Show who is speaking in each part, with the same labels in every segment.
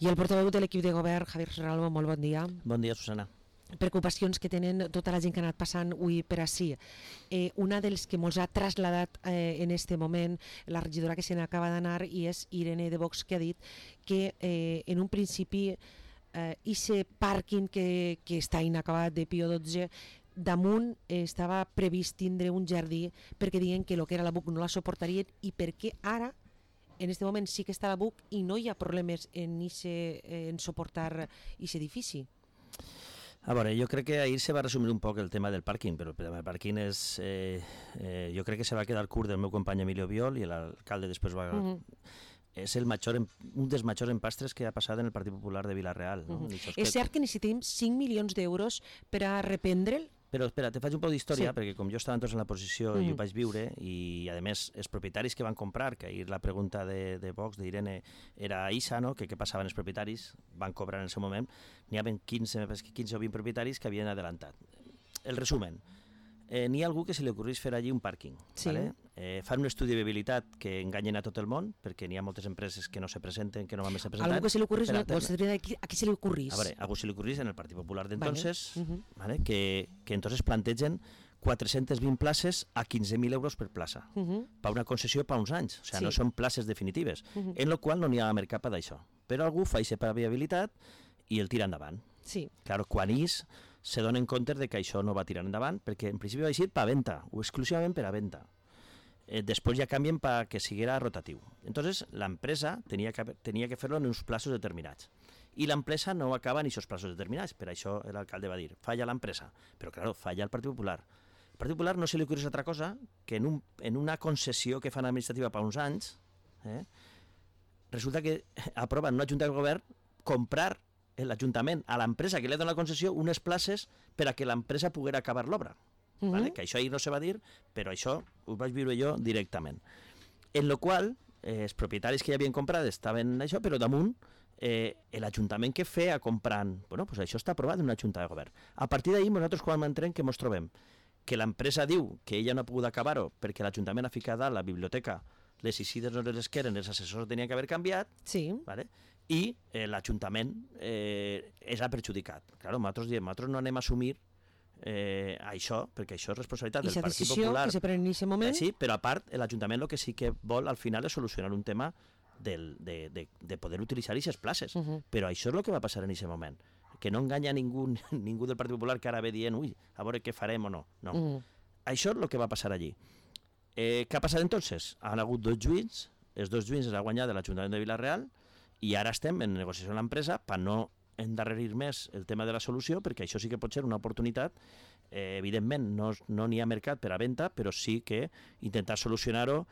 Speaker 1: I el portaveu de l'equip de govern, Javier Serralvo, molt bon dia.
Speaker 2: Bon dia, Susana.
Speaker 1: Preocupacions que tenen tota la gent que ha anat passant avui per ací. Una dels que ens ha traslladat en este moment la regidora que se n'acaba d'anar, i és Irene de Vox, que ha dit que en un principi ese pàrquing que està inacabat de Pío XII, damunt estava previst tindre un jardí perquè diuen que el que era la BUC no la suportarien, i perquè ara en este moment sí que està la BUC i no hi ha problemes en suportar aquest edifici.
Speaker 2: A veure, jo crec que ahir se va resumir un poc el tema del pàrquing, però el tema del pàrquing és... jo crec que se va quedar curt del meu company Emilio Biol, i l'alcalde després va... És un dels majors empastres que ha passat en el Partit Popular de Vila-real. No?
Speaker 1: És cert que necessitem 5 milions d'euros per a reprendre'l?
Speaker 2: Però espera, te faig un poc d'història, perquè com jo estava entonces en la posició i ho vaig viure, i a més els propietaris que van comprar, que ahir la pregunta de Vox, d'Irene, era ISA, no? Que què passava amb els propietaris, van cobrar en el seu moment, n'hi havia 15 o 20 propietaris que havien adelantat. El resumen, n'hi ha algú que se li ocorreix fer allí un pàrquing.
Speaker 1: Sí.
Speaker 2: ¿vale? Fan un estudi de viabilitat que enganyen a tot el món, perquè n'hi ha moltes empreses que no se presenten, que no van més a presentar.
Speaker 1: Algú que se li ocorreix, a qui se li ocorreix?
Speaker 2: A veure, algú se li ocorreix en el Partit Popular d'entonces, ¿vale? que entonces plantegen 420 places a 15.000 euros per plaça, per una concessió per uns anys, o sigui, no són places definitives, en la qual no n'hi ha mercat per d'això. Però algú fa això per viabilitat i el tira endavant.
Speaker 1: Sí.
Speaker 2: Claro, quan se donen compte de que això no va tirar endavant, perquè en principi va ser per a venda, o exclusivament per a venda. Després ja canvien perquè siguera rotatiu. Entonces, l'empresa tenia que fer-lo en uns plaços determinats. I l'empresa no acaba en aquests plaços determinats, per això l'alcalde va dir, falla l'empresa. Però, claro, falla el Partit Popular. El Partit Popular no se li ocorre altra cosa que en una concessió que fan administrativa per uns anys, resulta que aproven una junta de govern comprar l'Ajuntament a l'empresa que li ha donat la concessió unes places per a que l'empresa poguera acabar l'obra. ¿vale? Que això ahir no se va dir, però això ho vaig viure jo directament. En lo qual, els propietaris que ja havien comprat estaven això, però damunt l'Ajuntament que feia comprant, bueno, pues això està aprovat en una junta de govern. A partir d'ahir nosaltres quan entrem que ens trobem? Que l'empresa diu que ella no ha pogut acabar-ho perquè l'Ajuntament ha ficat a la biblioteca les isides no les queren, els assessors tenien que haver canviat, ¿vale? I l'Ajuntament és perjudicat. Claro, nosaltres no anem a assumir això, perquè això és responsabilitat del Partit Popular.
Speaker 1: Que se pren en aquest moment.
Speaker 2: Sí, però a part, l'Ajuntament el que sí que vol al final és solucionar un tema de poder utilitzar aquestes places. Però això és el que va passar en aquest moment. Que no enganya ningú del Partit Popular que ara ve dient, ui, a veure què farem o no. No. Això és el que va passar allí. Què ha passat entonces? Han hagut 2 juïs, els 2 juïs els ha guanyat de l'Ajuntament de Vila-real i ara estem en negociació amb l'empresa per no endarrerir més el tema de la solució, perquè això sí que pot ser una oportunitat. Evidentment no n'hi ha mercat per a venda, però sí que intentar solucionar-ho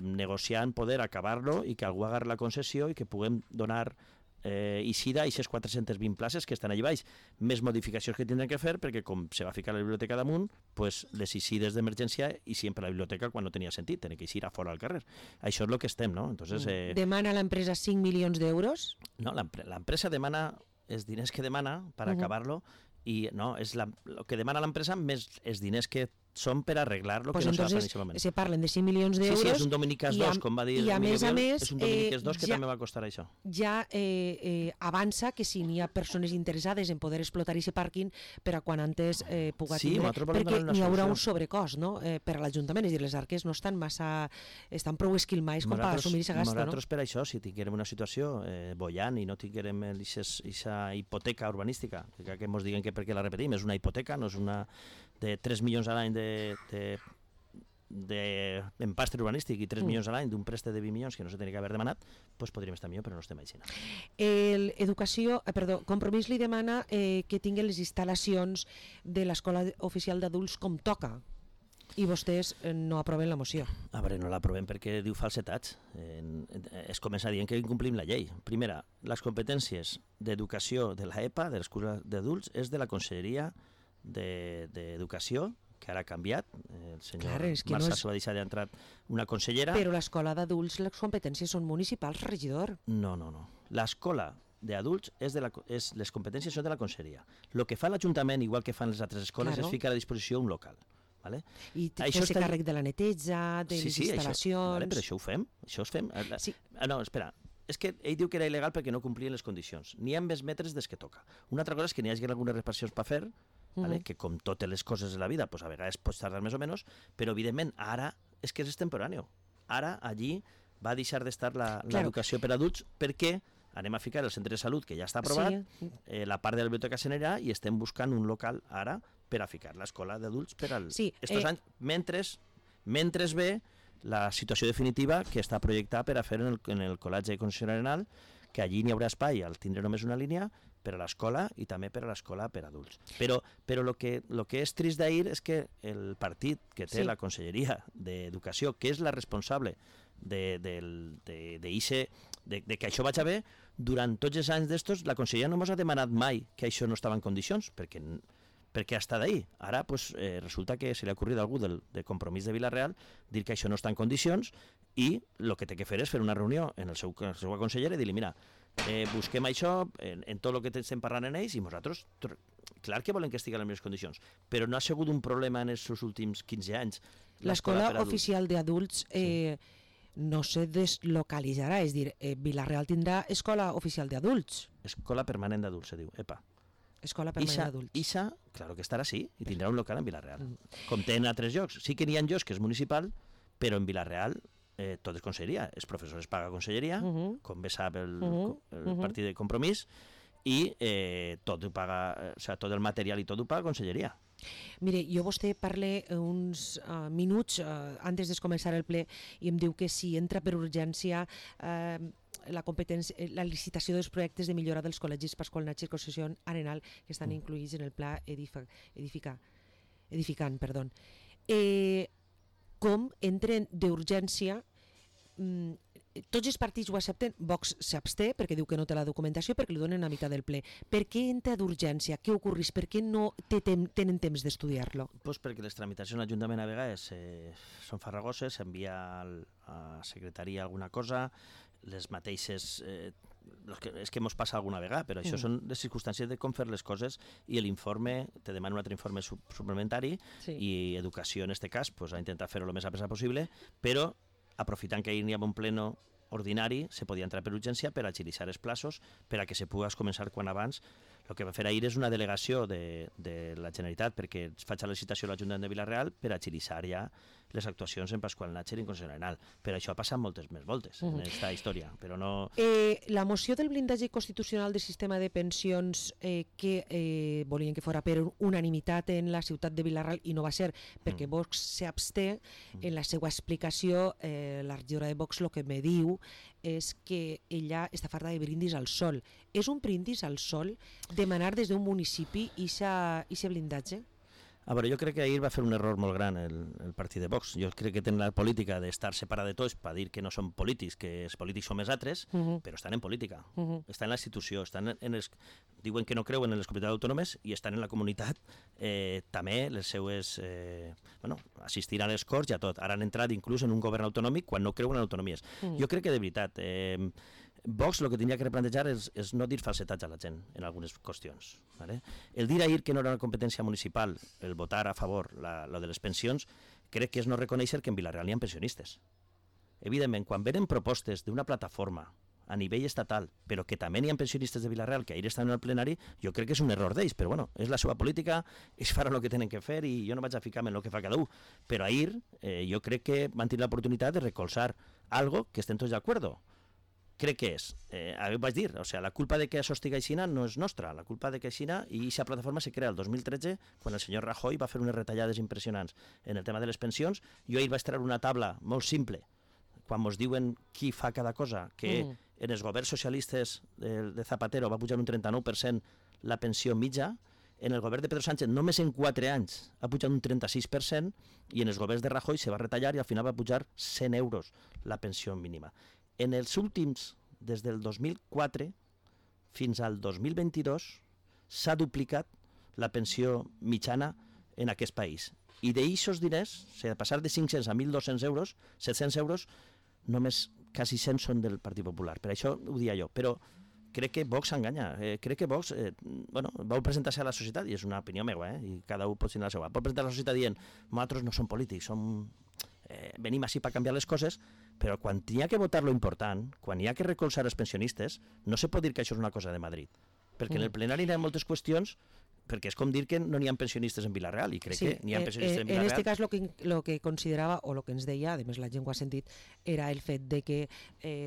Speaker 2: negociant, poder acabar-lo i que algú agarri la concessió i que puguem donar Isida i aquestes 420 places que estan allà baix, més modificacions que tindran que fer, perquè com se va ficar la biblioteca damunt, pues les Isides d'emergència i sempre la biblioteca quan no tenia sentit, tenia que eixir a fora al carrer. Això és el que estem, no? Entonces,
Speaker 1: demana l'empresa 5 milions d'euros?
Speaker 2: No, l'empresa demana els diners que demana per acabar-lo, i no, és el que demana l'empresa més els diners que són per arreglar lo que no se va fer en aquest moment.
Speaker 1: Se parlen de 5 milions d'euros.
Speaker 2: Sí, és un Dominicas 2, com va dir
Speaker 1: i a més,
Speaker 2: és un Dominicas 2 que també va costar això.
Speaker 1: Ja avança que si n'hi ha persones interessades en poder explotar aquest pàrquing per a quan antes puga tindre, perquè n'hi haurà un sobrecost, no? Per a l'Ajuntament, és a dir, les arques no estan estan prou esquilmais com per assumir aquesta gasta, no?
Speaker 2: Nosaltres per això, si tinguérem una situació bollant i no tinguérem aquesta hipoteca urbanística, que ens diguen que perquè la repetim, és una hipoteca, no és una de 3 milions a l'any d'empastre urbanístic i 3 milions a l'any d'un préstec de 20 milions que no se tenia que haver demanat, doncs podríem estar millor, però no estem així.
Speaker 1: Compromís li demana que tinguin les instal·lacions de l'Escola Oficial d'Adults com toca, i vostès no aproven la moció.
Speaker 2: A veure, no l'aprovem perquè diu falsetats. Es comença dient que incomplim la llei. Primera, les competències d'educació de l'EPA, de l'Escola d'Adults, és de la Conselleria d'Educació, que ara ha canviat. El senyor Marçà s'ho va deixar d'entrar una consellera.
Speaker 1: Però l'escola d'adults, les competències són municipals, regidor.
Speaker 2: No. L'escola d'adults les competències són de la conselleria. El que fa l'Ajuntament, igual que fan les altres escoles, és ficar a disposició un local. Vale?
Speaker 1: I fer-se càrrec de la neteja, de les instal·lacions...
Speaker 2: Vale, però això ho fem. No, espera. és que ell diu que era il·legal perquè no complien les condicions. N'hi ha més metres des que toca. Una altra cosa és que n'hi hagi algunes reparacions per fer, vale? Que com totes les coses de la vida, pues a vegades pots tardar més o menys, però evidentment ara és que és extemporani. Ara allí va deixar d'estar l'educació per adults perquè anem a ficar el centre de salut, que ja està aprovat, la part de la biblioteca s'anirà i estem buscant un local ara per a ficar l'escola d'adults per als anys, mentre ve la situació definitiva que està projectada per a fer en el Col·legi de Concessió Arenal, que allí n'hi haurà espai al tindre només una línia per a l'escola i també per a l'escola per a adults. Però lo que és trist d'ahir és que el partit que té la Conselleria d'Educació, que és la responsable de que això vagi bé, durant tots els anys d'estos, la Conselleria no ens ha demanat mai que això no estava en condicions, perquè ha estat ahí. Ara resulta que se li ha ocorrit a algú de Compromís de Vila-real dir que això no està en condicions i el que té que fer és fer una reunió en la seva consellera i dir-li, mira, busquem això en tot el que estem parlant en ells i nosaltres, clar que volem que estigui en les millors condicions, però no ha sigut un problema en els últims 15 anys.
Speaker 1: L'escola oficial d'adults no se deslocalitzarà, és dir, Vila-real tindrà escola oficial d'adults.
Speaker 2: Escola permanent d'adults, se diu, EPA.
Speaker 1: Escola permanent d'adults.
Speaker 2: Ixa, claro que estarà sí, i tindrà un local en Vila-real. Com té en altres llocs. Sí que n'hi ha llocs que és municipal, però en Vila-real tot és conselleria. Els professors paga conselleria, com bé sap el partit de Compromís, i tot ho paga, o sigui, tot el material i tot ho paga conselleria.
Speaker 1: Mire, jo vostè parla uns minuts antes de començar el ple i em diu que si entra per urgència la licitació dels projectes de millora dels col·legis Pasqual Natxa i Concessió Arenal que estan incluïts en el pla edificant. Com entren d'urgència, tots els partits ho accepten, Vox s'absté perquè diu que no té la documentació, perquè li donen a meitat del ple. Per què entra d'urgència? Què ocorreix? Per què no tenen temps d'estudiar-lo?
Speaker 2: Pues perquè les tramitacions a l'Ajuntament a vegades són farragoses, s'envia a secretaria alguna cosa, les mateixes... és que ens passa alguna vegada, però això són les circumstàncies de com fer les coses i l'informe, te demana un altre informe suplementari i Educació, en aquest cas, ha intentat fer-ho el més a pressa possible, però aprofitant que ahir n'hi ha un pleno ordinari, se podia entrar per urgència per agilitzar els plaços, per a que se pugués començar quan abans. El que va fer ahir és una delegació de la Generalitat perquè es faci la licitació a l'Ajuntament de Vila-real per agilitzar ja les actuacions en Pasqual Natxa i en Concessió Arenal. Per això ha passat moltes més voltes en aquesta història, però no...
Speaker 1: La moció del blindatge constitucional del sistema de pensions que volien que fora per unanimitat en la ciutat de Vila-real i no va ser perquè Vox s'absté, en la seva explicació la regidora de Vox el que me diu és que ella està farta de brindis al sol. És un brindis al sol demanar des d'un municipi aquest blindatge?
Speaker 2: A veure, jo crec que ahir va fer un error molt gran el partit de Vox. Jo crec que tenen la política d'estar separada de tots per dir que no són polítics, que els polítics són més altres, però estan en política, estan en la institució, diuen que no creuen en les comunitats autònomes i estan en la comunitat, també les seues... assistir a les Corts i a tot. Ara han entrat inclús en un govern autonòmic quan no creuen en autonomies. Jo crec que de veritat... Vox el que tindria que replantejar és no dir falsetats a la gent en algunes qüestions. ¿Vale? El dir ahir que no era una competència municipal, el votar a favor lo de les pensions, crec que és no reconèixer que en Vila-real n'hi ha pensionistes. Evidentment, quan venen propostes d'una plataforma a nivell estatal, però que també n'hi ha pensionistes de Vila-real que ahir estan en el plenari, jo crec que és un error d'ells, però bueno, és la seva política, ells faran el que tenen que fer i jo no vaig a ficar-me en el que fa cada un. Però ahir jo crec que van tenir l'oportunitat de recolzar algo que estem tots d'acord. Crec que és, vaig dir, la culpa de que això estigui aixina no és nostra, la culpa de que aixina, i aquesta plataforma se crea el 2013, quan el senyor Rajoy va fer unes retallades impressionants en el tema de les pensions. Jo ahir vaig treure una tabla molt simple, quan ens diuen qui fa cada cosa, que en els governs socialistes de Zapatero va pujar un 39% la pensió mitja, en el govern de Pedro Sánchez només en 4 anys ha pujat un 36%, i en els governs de Rajoy se va retallar i al final va pujar 100 euros la pensió mínima. En els últims, des del 2004 fins al 2022, s'ha duplicat la pensió mitjana en aquest país. I d'aixòs diners, de passar de 500 a 1.200 euros, 700 euros, només quasi 100 són del Partit Popular. Per això ho dia jo. Però crec que Vox s'enganya. Crec que Vox vol presentar-se a la societat, i és una opinió meva, i cada un pot tenir la seva. Pot presentar a la societat dient, nosaltres no som polítics, som venim així per canviar les coses, però quan hi ha que votar lo important, quan hi ha que recolzar els pensionistes, no se pot dir que això és una cosa de Madrid. Perquè en el plenari hi ha moltes qüestions, perquè és com dir que no n'hi ha pensionistes en Vila-real, i crec que n'hi ha pensionistes en Vila-real.
Speaker 1: En este cas lo que considerava, o lo que ens deia, a més la gent ho ha sentit, era el fet de que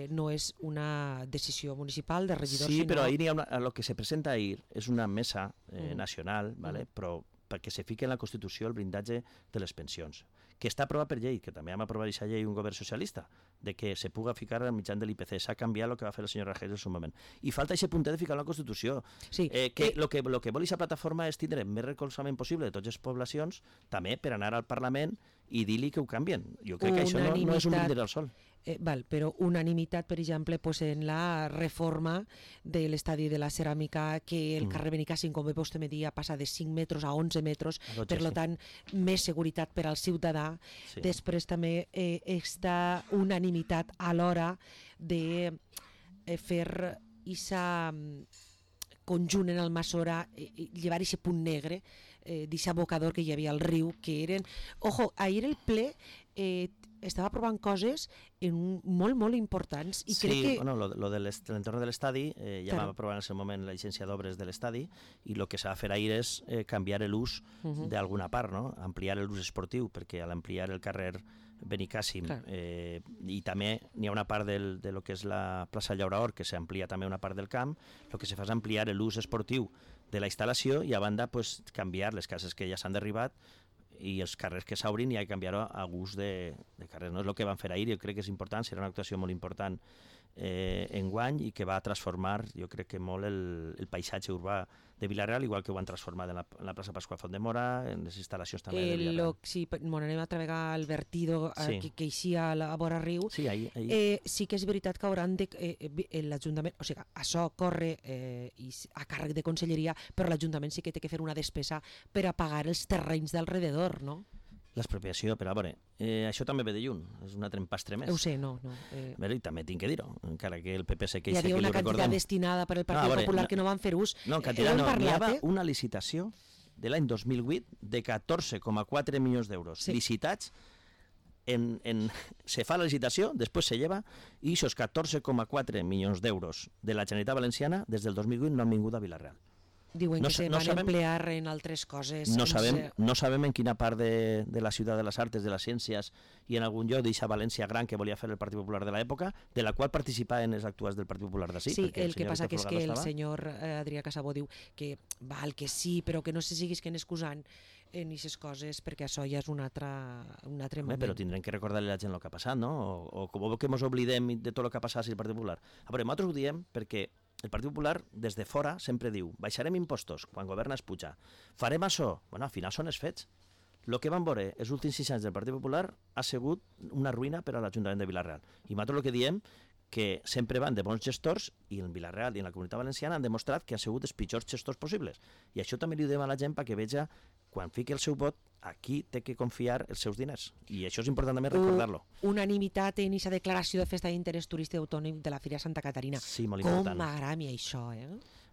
Speaker 1: no és una decisió municipal de regidors,
Speaker 2: sí, però ahir el que se presenta ahir és una mesa nacional, ¿vale? Però perquè se fiqui en la Constitució el blindatge de les pensions, que està aprovat per llei, que també vam aprovar aquesta llei un govern socialista, de que se puga ficar al mitjan de l'IPC. S'ha canviat el que va fer el senyor Rajoy en el seu moment. I falta aquest puntet de ficar en la Constitució.
Speaker 1: Sí,
Speaker 2: que lo que vol aquesta plataforma és tindre més recolzament possible de totes les poblacions, també per anar al Parlament i dir-li que ho canvien. Jo crec que això no és un brindis al sol.
Speaker 1: Però unanimitat, per exemple, en la reforma de l'estadi de la ceràmica, que el carrer Benicàssim, com vostè me dia, passa de 5 metres a 11 metres, per tant, més seguretat per al ciutadà. Sí. Després també està unanimitat a l'hora de fer aquesta conjunt en el Massora, llevar aquest punt negre, d'aquest abocador que hi havia al riu, que eren... Ojo, ahir el ple estava aprovant coses molt, molt importants. I crec que...
Speaker 2: bueno, lo de l'entorn de l'estadi, ja vam aprovar en el seu moment la llicència d'obres de l'estadi, i el que s'ha de fer ahir és canviar l'ús d'alguna part, no? Ampliar l'ús esportiu, perquè a l'ampliar el carrer Benicàssim, i també n'hi ha una part de lo que és la plaça Llauraor, que s'amplia també una part del camp, el que se fa és ampliar l'ús esportiu de la instal·lació i a banda canviar les cases que ja s'han derribat i els carrers que s'obrin i ha de canviar-ho a gust de carrers. No és el que van fer ahir, jo crec que és important, serà una actuació molt important enguany i que va transformar, jo crec que molt el paisatge urbà de Vila-real, igual que ho han transformat en la plaça Pasqual Font de Mora, en les instal·lacions també de Vila-real.
Speaker 1: Sí, anem a treballar el vertido que eixia a vora riu.
Speaker 2: Sí, ahir.
Speaker 1: Sí que és veritat que hauran de... l'Ajuntament, o sigui, això corre a càrrec de Conselleria, però l'Ajuntament sí que té que fer una despesa per a pagar els terrenys d'alrededor, no?
Speaker 2: L'expropiació, però a veure, això també ve de lluny, és un altre empastre més.
Speaker 1: Ho sé, no.
Speaker 2: I també tinc que dir-ho, encara que el PP se queixa
Speaker 1: que ho recordem. Hi havia una quantitat destinada per al Partit Popular que no van fer ús.
Speaker 2: No, quantitat no, hi havia una licitació de l'any 2008 de 14,4 milions d'euros licitats, se fa la licitació, després se lleva, i aquests 14,4 milions d'euros de la Generalitat Valenciana des del 2008 no han vingut a Vila-real.
Speaker 1: Diuen que se van emplear en altres coses.
Speaker 2: No sabem en quina part de la ciutat de les arts, de les ciències i en algun lloc d'aquesta València gran que volia fer el Partit Popular de l'època, de la qual participaven els actuals del Partit Popular d'ací.
Speaker 1: Sí, el que passa que és que el senyor Adrià Casabó diu que val que sí, però que no se siguisquen excusant en aquestes coses perquè això ja és un altre moment.
Speaker 2: Però tindrem que recordar-li a la gent el que ha passat, no? O com que ens oblidem de tot el que ha passat al Partit Popular. A veure, nosaltres ho diem perquè el Partit Popular, des de fora, sempre diu baixarem impostos, quan governa es puja. Farem això. Bueno, al final són els fets. El que vam veure els últims 6 anys del Partit Popular ha sigut una ruïna per a l'Ajuntament de Vila-real. I nosaltres el que diem que sempre van de bons gestors i en Vila-real i en la Comunitat Valenciana han demostrat que han sigut els pitjors gestors possibles. I això també li ho diem a la gent perquè veja, quan fiqui el seu vot, aquí té que confiar els seus diners. I això és important també recordar-lo.
Speaker 1: Unanimitat en aquesta declaració de festa d'interès turístic autònom de la Fira Santa Caterina.
Speaker 2: Sí, molt important.
Speaker 1: Com m'agrada a mi això,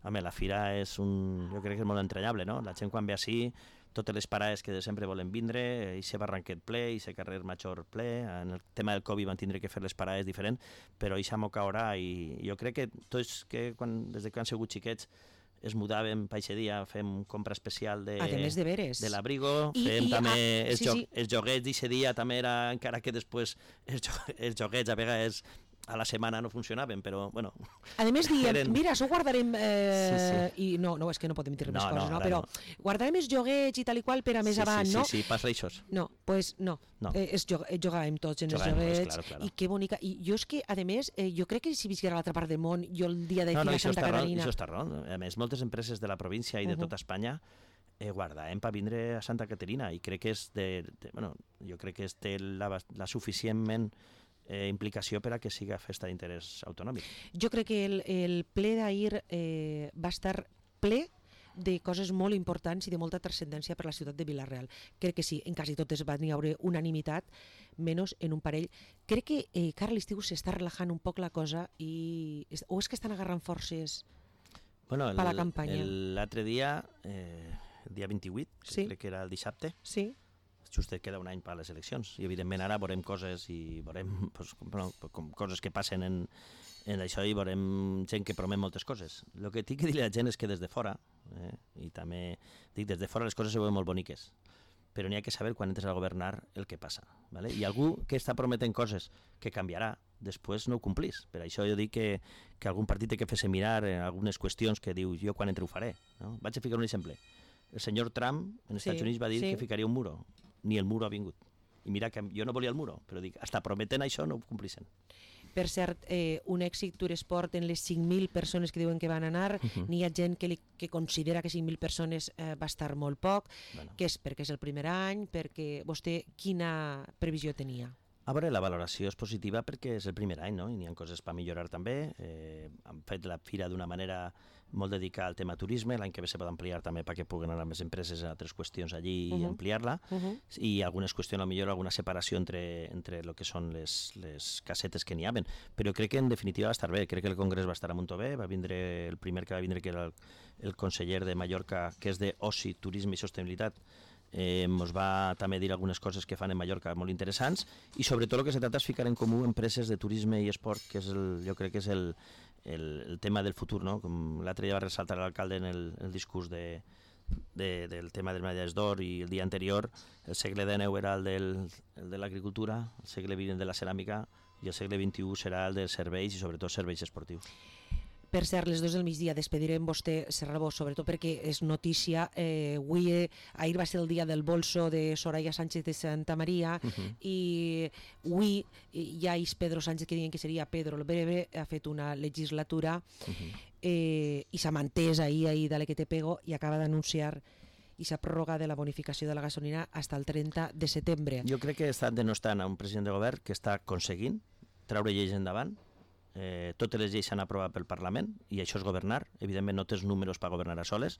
Speaker 2: Home, la Fira és jo crec que és molt entranyable, no? La gent quan ve així, totes les parades que de sempre volen vindre, i se Barranquet ple, i se carrer Major ple, en el tema del Covid van tindre que fer les parades diferents, però això m'ho caurà, i jo crec que tots que des que han sigut xiquets es mudàvem per aquest dia, fem compra especial de l'abrigo, fem també els joguets d'aquest dia, també era, encara que després els joguets a vegades a la setmana no funcionaven, però, bueno...
Speaker 1: A més, diem, mira, això ho guardarem... I no, és que no podem dir més coses, no? Però guardarem els joguets i tal i qual per a més avant, no?
Speaker 2: Sí, passa això.
Speaker 1: No, doncs no. Jugàvem tots en els joguets, i que bonica. I jo és que, a més, jo crec que si visquera a l'altra part del món, jo el dia de Fira Santa Caterina...
Speaker 2: Això està raó. A més, moltes empreses de la província i de tota Espanya guardàvem per vindre a Santa Caterina, i crec que jo crec que té la suficientment implicació per a que siga festa d'interès autonòmic.
Speaker 1: Jo crec que el ple d'ahir va estar ple de coses molt importants i de molta transcendència per a la ciutat de Vila-real. Crec que sí, en quasi totes va haver unanimitat, menys en un parell. Crec que cara a l'estiu s'està relajant un poc la cosa o és que estan agarrant forces per la campanya?
Speaker 2: L'altre dia, el dia 28, crec que era el dissabte, just queda un any per a les eleccions, i evidentment ara veurem coses i veurem com coses que passen en això i veurem gent que promet moltes coses. El que tinc que dir a la gent és que des de fora, i també dic, des de fora les coses se veuen molt boniques, però n'hi ha que saber quan entres a governar el que passa. ¿Vale? I algú que està prometent coses que canviarà, després no ho complís. Per això jo dic que algun partit té que fer-se mirar en algunes qüestions que diu jo quan entre ho faré. No? Vaig a ficar un exemple. El senyor Trump en Estats Units va dir que ficaria un muro. Ni el muro ha vingut. I mira que jo no volia el muro, però dic, hasta prometent això no ho complixen.
Speaker 1: Per cert, un èxit Turesport en les 5.000 persones que diuen que van anar, n'hi ha gent que considera que 5.000 persones va estar molt poc, que és perquè és el primer any, perquè vostè quina previsió tenia?
Speaker 2: A veure, la valoració és positiva perquè és el primer any, no? I n'hi ha coses per millorar també. Han fet la fira d'una manera molt dedicada al tema turisme, l'any que ve se pot ampliar també perquè puguen anar més empreses a altres qüestions allí i ampliar-la, i algunes qüestions, millor alguna separació entre el que són les casetes que n'hi haven. Però crec que en definitiva va estar bé, crec que el congrés va estar a Montové, va vindre el primer que va vindre, que era el conseller de Mallorca, que és d'Oci, Turisme i Sostenibilitat, ens va també dir algunes coses que fan en Mallorca molt interessants, i sobretot el que se tracta és ficar en comú empreses de turisme i esport, que és jo crec que és el tema del futur, no? Com l'altre dia va ressaltar l'alcalde en el discurs del tema de les medalles d'or, i el dia anterior el segle XIX era el de l'agricultura, el segle XX el de la ceràmica, i el segle XXI serà el dels serveis, i sobretot serveis esportius.
Speaker 1: Per cert, les 2 del migdia despedirem vostè, Serrabó, sobretot perquè és notícia. Ahir va ser el dia del bolso de Soraya Sánchez de Santa Maria, i avui ja és Pedro Sánchez, que diuen que seria Pedro el Breve, ha fet una legislatura i s'ha mantès ahir de la que te pego, i acaba d'anunciar i s'ha prorrogat de la bonificació de la gasolina fins al 30 de setembre.
Speaker 2: Jo crec que està denostant a un president de govern que està aconseguint treure lleis endavant. Totes les lleis s'han aprovat pel Parlament, i això és governar. Evidentment no tens números per governar a soles,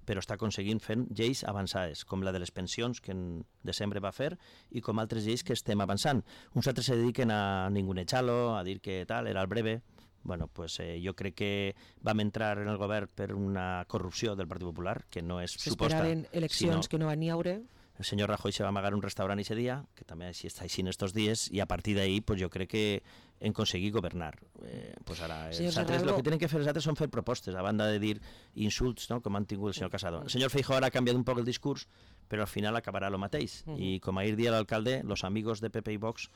Speaker 2: però està aconseguint fent lleis avançades, com la de les pensions, que en desembre va fer, i com altres lleis que estem avançant. Uns altres se dediquen a ningunejar-lo, a dir que tal, era el breve. Bueno, pues jo crec que vam entrar en el govern per una corrupció del Partit Popular, que no és suposta.
Speaker 1: S'esperaven eleccions que no van ni haure.
Speaker 2: El senyor Rajoy se va amagar un restaurant ese dia, que també així està així en estos dies, i a partir d'ahí pues, jo crec que hem aconseguit governar. Pues ara, el que tenen que fer els altres són fer propostes, a banda de dir insults, no? Com han tingut el senyor Casado. El senyor Feijóo ara ha canviat un poc el discurs, però al final acabarà el mateix. I com ahir dia l'alcalde, los amigos de PP i Vox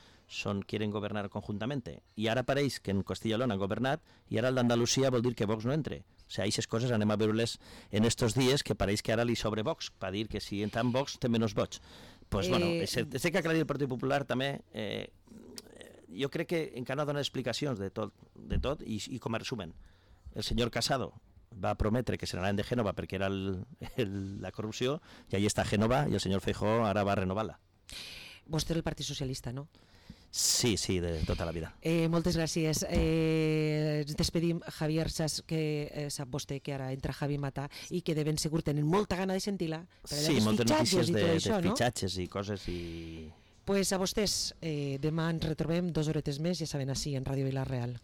Speaker 2: quieren governar conjuntamente. I ara pareix que en Castilla y León han governat, i ara el d'Andalusia vol dir que Vox no entre. O sigui, aquestes coses anem a veure-les en estos dies, que pareix que ara li sobre Vox, per dir que si entra en Vox té menys vots. Pues bueno, sé que aclarir el Partit Popular també, jo crec que encara dona explicacions de tot i com a resumen. El senyor Casado va prometre que se n'anaven de Gènova perquè era la corrupció, i ahí està Gènova, i el senyor Feijóo ara va a renovar-la.
Speaker 1: Vostè és el Partit Socialista, no?
Speaker 2: Sí, de tota la vida.
Speaker 1: Moltes gràcies. Ens despedim, Javier, saps que sap vostè que ara entra Javi Mata i que de ben segur tenen molta gana de sentir-la.
Speaker 2: Sí, moltes notícies de fitxatges i coses i...
Speaker 1: Pues a vostès, demà ens retrobem 2 horetes més, ja saben, així, en Ràdio Vila Real.